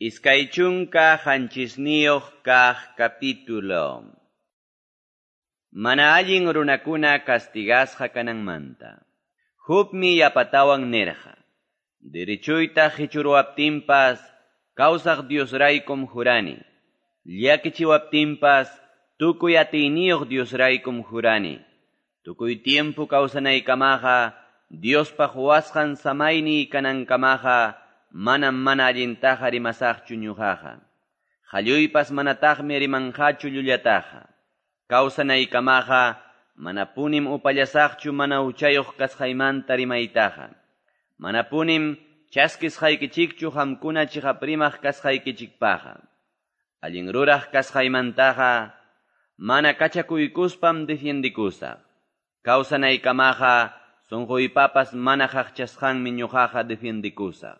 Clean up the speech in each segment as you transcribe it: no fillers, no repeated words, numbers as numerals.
27 kaq capítulo. Mana allin runakuna castigasqa kananmanta. Jobmi yapatawan nirqa. Derechuyta qichuruwaptinpas kawsaq Diosraykum jurani. Llakichiwaptinpas tukuy atiyniyuq Diosraykum jurani. Tukuy tiempo kawsanaykamaqa Diospa quwasqan samayniy kanankamaqa manam mana allintaqa rimasaqchu ñuqaqa. Qalluypas manataqmi rimanqachu llullataqa. Kawsanaykamaqa manapunim upallasaqchu mana huchayuq kasqaymanta rimaytaqa. Manapunim chaskisqaykichikchu qamkuna chiqap rimaq kasqaykichikpaqa. Allin ruraq kasqaymantaqa mana kachakuykuspam defiendikusaq. Kawsanaykamaqa sunquypapas mana qaqchasqanmi ñuqaqa defiendikusaq.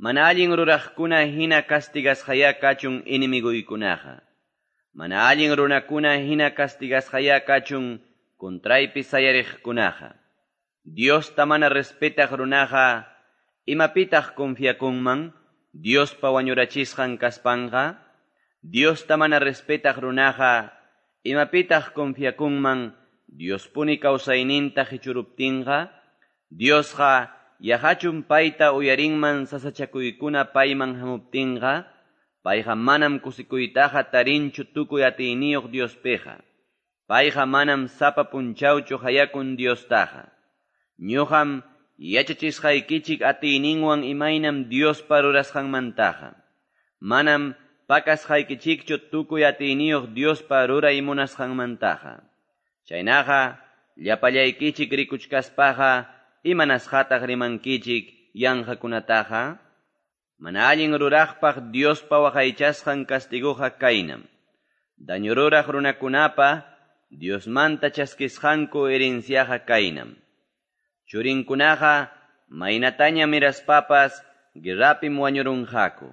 Mana allin ruraqkuna hina castigasqaya kachun enemiguykunaqa. Mana allin runakuna hina castigasqaya kachun contraypi sayariqkunaqa. Diosta mana respetaq runaqa imapitaq confiakunman Diospa wañurachisqan kaspanqa. Diosta mana respetaq runaqa imapitaq confiakunman Diospuni kawsayninta qichuruptinqa. Diosqa yaqachum payta uyarinman sasachakuykuna payman hamuptinqa. Payqa manam kusikuytaqa tarinchu tukuy atiyniyuq Diospiqa. Payqa manam sapa punchawchu hayakun Diostaqa. Ñuqam yachachisqaykichik atiyninwan imaynam Diospa rurasqanmantaqa. Manam pakasqaykichikchu tukuy atiyniyuq Diospa ruray munasqanmantaqa. Chaynaqa llapallaykichik rikuchkaspaqa imanasqataq rimankichik yanqakunataqa. Mana allin ruraqpaq Diospa waqaychasqan castiguqa kaynam. Daño ruraq runakunapa Diosmanta chaskisqanku herenciaqa kaynam. Churinkunaqa maynataña miraspapas guerrapim wañurunqaku.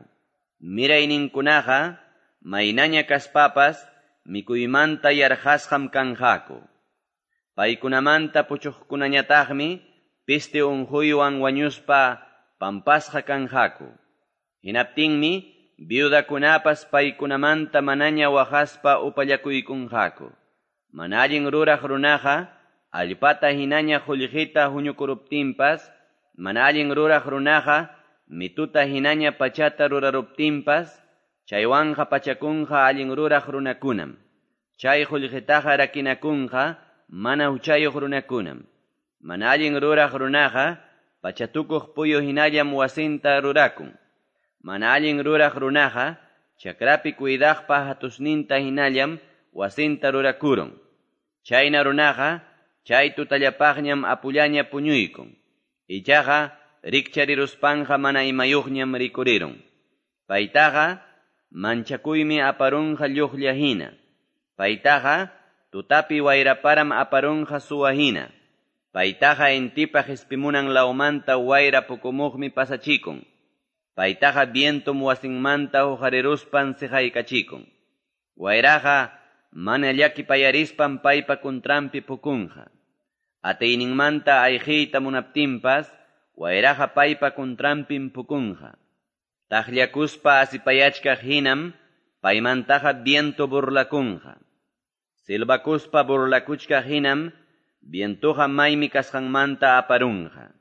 Mirayninkunaqa maynaña kaspapas mikuymanta yarqasqam kanqaku. Paykunamanta puchuqkunañataqmi peste unquywan wañuspa pampasqa kanqaku. Hinaptinmi viudakunapas paykunamanta manaña waqaspa upallakuykunqaku. Mana allin ruraq runaqa allpata hinaña qullqita huñukuruptinpas, mana allin ruraq runaqa mituta hinaña pachata ruraruptinpas, chaywanqa pachakunqa allin ruraq runakunam. Chay qullqitaqa rakinakunqa mana huchayuq runakunam. Mana allin ruraq runaqa pachatukuq puyu hinallam wasinta rurakun. Mana allin ruraq runaqa chakrapi cuidaqpa hatusninta hinallam wasinta rurakurun. Chayna runaqa chay tutallapaqñam apullaña puñuykun. Ichaqa rikchariruspanqa mana imayuqñam rikurirun. Paytaqa manchakuymi aparunqa lluqlla hina. Paytaqa tutapi wayraparam aparunqa suwa hina. Paytaqa intipa qispimunan lawmanta wayra pukumuqmi pasachikun. Paytaqa vientum wasinmanta huqariruspan siqaykachikun. Wayraqa mana llakipayarispan paypa kuntranpi pukunqa. Atiyninmanta ayqiyta munaptinpas wayraqa paypa kuntranpim pukunqa. Taqllakuspa asipayachkaq hinam paymantaqa viento burlakunqa. Silbakuspa burlakuchkaq hinam vientuqa maymi kasqanmanta aparunqa.